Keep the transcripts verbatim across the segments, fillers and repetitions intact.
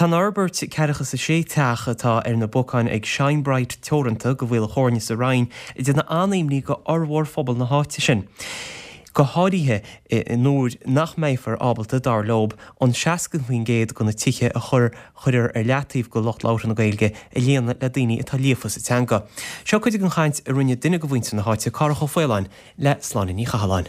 Tá an fhorbairt ceathracha is a sé teach atá ar na bacáin ag Shine Bright Teoranta go Mhaoil Chóirne sa Rinn ag déanamh an-imní go fhormhór phobal na háite sin. Go háirithe nuair nach mbeifear ábalta dar leo an seasca faoin gcéad de na tithe a chur chuirear ar leataobh go lucht labhartha na Gaeilge a líonadh le daoine atá líofa sa teanga. Seo cuid den chaint a rinne duine de mhuintir na háite Cárthach Ó Faoláin le Sláine Ní Chathalláin.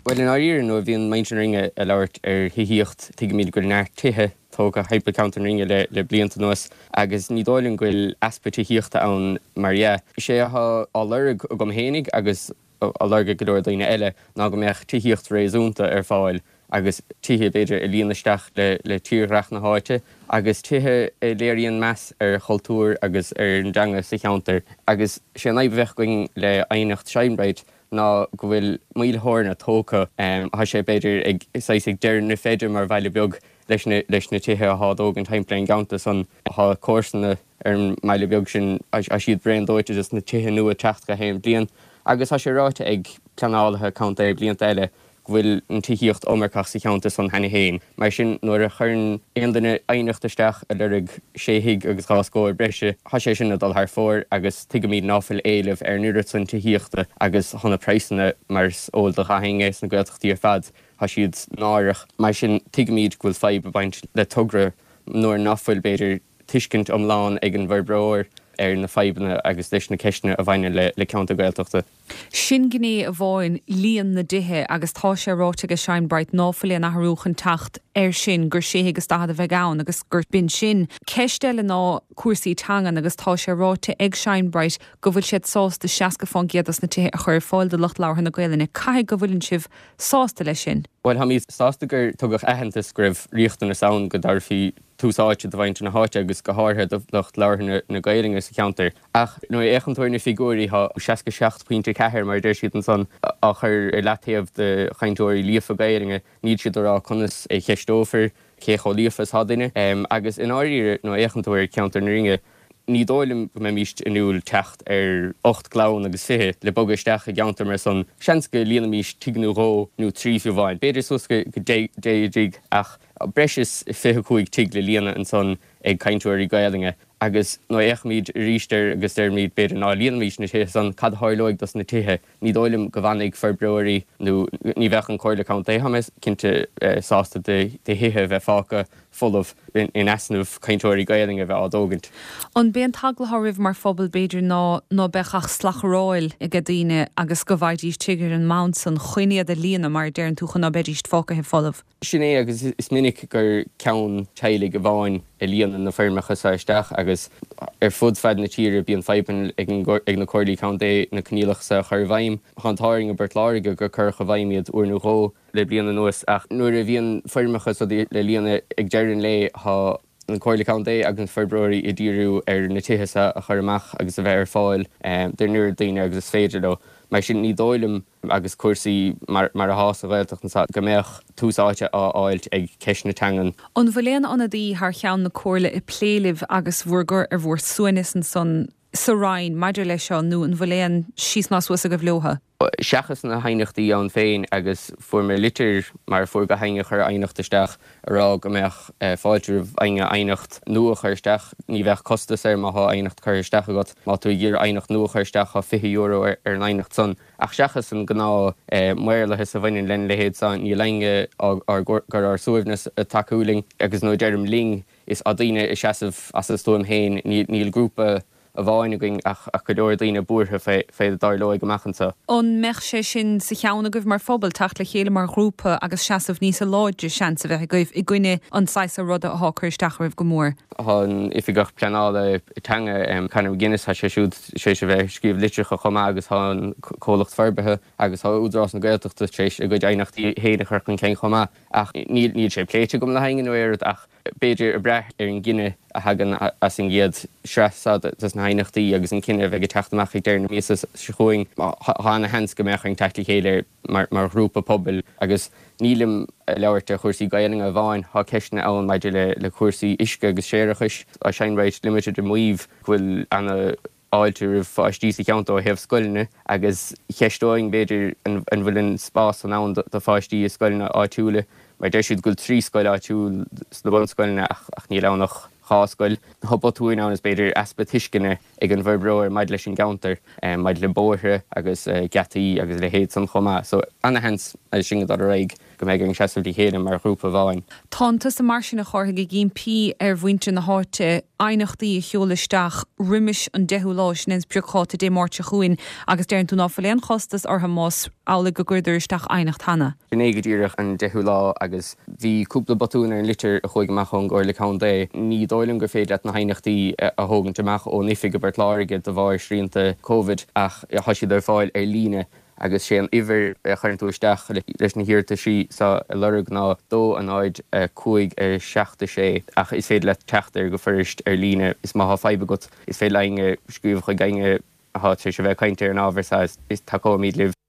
Well in áiríre nuair a bhíonn muintir na Rinne ag labhairt ar thithíocht tuigimid go bhfuil neart tithe tógtha thimpeall ceantar na Rinne le le blianta anuas agus ní dóigh liom go bhfuil easpa tithíochta ann mar dhea. Is é atá á lorg agam fhéinig agus á lorg ag go leor daoine eile ná go mbeadh tithíocht réasúnta ar fáil agus tithe b'fhéidir a luíonn isteach le le tírdhreach na háite agus tithe a léiríonn meas ar chultúr agus ar an dteanga sa cheantar agus sé an fhadhb a bheadh againn le aighneacht Shine Bright ná go bhfuil Maoil Chóirne tógtha. Tá sé b'fhéidir ag saghas ag deireadh na feide mar bhaile beag leis na leis na tithe atá á dtógaint timpeall ar an gceantar san. Tá comharsana ar an mbaile beag sin, tá siad bréan dóite des na tithe nua ag teacht gach aon bhliain agus tá sé ráite ag pleanálaithe contae blianta eile go bhfuil an tithíocht iomarcach sa cheantar san cheana féin. Mar sin, nuair a chuireann aon duine aighneacht isteach ag lorg sé thigh agus dhá scór breise, tá sé sin ag dul thar fóir agus tuigimid ná fuil éileamh ar an oiread san tithíochta agus tá na praghsanna, mar is eol do gach éinne sna Gaeltachtaí ar fad, tá siad náireach. Mar sin, tuigimid go bhfuil fadhb ag baint le togra nuair ná fuil, b'fhéidir, tuiscint iomlán ag an bhforbróir ar na fadhbanna agus leis na ceisteanna a bhaineann le ceantar Gaeltachta. Sin gné amháin, líon na dtithe, agus tá sé ráite ag Shine Bright ná fuil aon athrú chun teacht air sin, gur sé thigh is daichead a bheidh ann agus gur b'in sin. Ceist eile ná cúrsaí teangan agus tá sé ráite ag Shine Bright go bhfuil siad sásta seasca fán gcéad dos na tithe a chur ar fáil do lucht labhartha na Gaelainne. Caithfidh go bhfuileann sibh sásta leis sin? Bhuel, táimid sásta gur tugadh aitheantas go raibh riachtanas ann go dtabharfaí tús áite do mhuintir na háite agus go háirithe do lucht labhartha na Gaelainne sa cheantar. Ach nuair a fhéachann tú ar na figiúirí, tá seasca seacht pointe ceathair, mar a deir siad ansan, á chur ar leataobh do chainteoirí líofa Gaelainne. Níl siad ag rá conas a cheisteofar cé chomh líofa is atá duine. Agus i ndáiríre, nuair a fhéachann tú ar cheantar na Rinne, ní dóigh liom go mbeimíst inniúil teacht ar ocht gclann agus fiche le bogadh isteach i gceantar mar san. Seans go líonfaimís tigh nó dhó nó trí fiú amháin, b'fhéidir suas go deich dtigh, ach breis is fiche cúig tigh le líonadh ansan ag cainteoirí Gaelainne. Agus nuair a fhéachaimid arís air agus deirimid b'fhéidir ná líonfaimís na tithe san, cad a tharlóidh dos na tithe? Ní dóigh liom go bhfanfaidh forbróirí nó ní bheadh an Comhairle Contae, tá mé cinnte, sásta do thithe a bheith fágtha folamh in easnamh cainteoirí Gaelainne a bheith á dtógaint. An b'é an t-eagla atá oraibh mar phobal b'fhéidir ná ná beadh ach slachdharáil aige daoine agus go bhfaighidís tigh ar an mbonn san chun iad a líonadh mar a deireann tú chun ná beidís fágtha folamh? Sin é agus is minic gur ceann teaghlaigh amháin a líonann na foirmeacha seo isteach agus ar fud fad na tíre bíonn fadhbanna ag na comhairlí contae na coinníollacha seo a chur i bhfeidhm. Tá an t-ádh orainn i bPort Láirge gur cuireadh i bhfeidhm iad uair nó dhó le bliain anuas ach nuair a bhíonn foirmeacha seo le líonadh ag deireadh an lae tá an Chomhairle Contae agus na forbróirí ag díriú ar na tithe seo a chur amach agus a bheith ar fáil don oiread daoine agus is féidir leo. Mar sin ní dóigh liom, agus cúrsaí mar atá sa Ghaeltacht anseo, go mbeadh tús áite á fháilt ag ceist na teangan. An bhfuil aon ionadaí thar cheann na Comhairle ag plé libh agus bhur gcur ar bhur suaimhneas ansan sa Roinn maidir leis seo nó an bhfuil aon síos ná suas agaibh leotha? Seachas na haighneachtaí ann féin agus fuair mé litir, mar a fuair gach éinne a chuir aighneacht isteach, a rá go mbeadh fáilte roimh éinne aighneacht nua a chur isteach. Ní bheadh costas air má thá aighneacht curtha isteach agat. Má tú ag iarraidh aighneacht nua a chur isteach thá fiche euro ar an aighneacht san. Ach seachas an gnáth maorlathas a bhaineann lena leithéid san, níl éinne ár gcur ár suaimhneas ag tacú linn. Agus nuair a deirim linn, is daoine ag seasamh as a stuaim féin. Níl grúpa amháin againn ach go leor daoine buartha fé fé a dtarlóidh amach anseo. An mbeadh sé sin sa cheann agaibh mar phobal, teacht le chéile mar ghrúpa agus seasamh níosa láidre, seans a bheith agaibh i gcoinne an saghas ruda athá ag cur isteach oraibh go mór? Tá an Oifigeach Pleanála Teanga, Conor McGuinness, tá sé siúd tar éis a bheith ag scríobh litreacha chomh maith agus tá an comhlacht forbartha agus tá Údarás na Gaeltachta tar éis a gcuid aighneachtaí féin a chur chun cinn chomh maith ach níl sé pléite agam le héinne nó aon rud ach b'fhéidir ag brath ar an gcinneadh a thagann as an gcéad sraith seo de na haighneachtaí agus an cinneadh a bheidh ag teacht amach ag deireadh na míosa seo chugainn, tá ana-sheans go mbeadh orainn teacht le chéile mar ghrúpa pobail agus nílim ag labhairt ar chúrsaí Gaelainne amháin, tá ceisteanna ann maidir le cúrsaí uisce agus séarachais. Tá Shine Bright Limited ag maíomh go bhfuil ana fháilte roimh pháistí sa cheantar ó thaobh scoileanna agus cheisteoinn b'fhéidir an bhfuil an spás san ann do pháistí i scoileanna áitiúla mar deir siad go bhfuil trí scoil áitiúil sna bunscoileanna ach níl ann ach dhá scoil. Tá botúin ann is b'fhéidir easpa tuisceana ag an bhforbróir maidir leis an gceantar, maidir le bóithre agus geataí agus a leithéid san chomh maith. So ana-sheans é sin ag dul ar aghaidh go mbeidh orainn seasamh le chéile mar ghrúpa amháin. Tánn tusa mar sin a Chárthaigh ag impí ar mhuintir na háite aighneachtaí a sheoladh isteach roimis an deichiú lá, sin é an spriocdháta Dé Máirt seo chugainn, agus deireann tú ná fuil aon chostas orthu más amhlaidh go gcuireadar isteach aighneacht cheana. Sin é go díreach an deichiú lá agus bhí cúpla botún ar an litir a chuaigh amach ón gComhairle Contae. Ní dóigh liom gur féidir leat na haighneachtaí a thógaint amach ón oifig i bPort Láirge de bharr srianta Covid ach tá siad ar fáil ar líne agus sé an uimhir a chuireann tú isteach leis na hiarrataisí seo a lorg ná dó a náid a cúig a seacht a sé ach is féidir leat teacht air go fuirist ar líne is má thá fadhb agat is féidir le éinne scríobh chuig éinne atá tar éis a bheith ag caint ar an ábhar seo is tacóimid libh.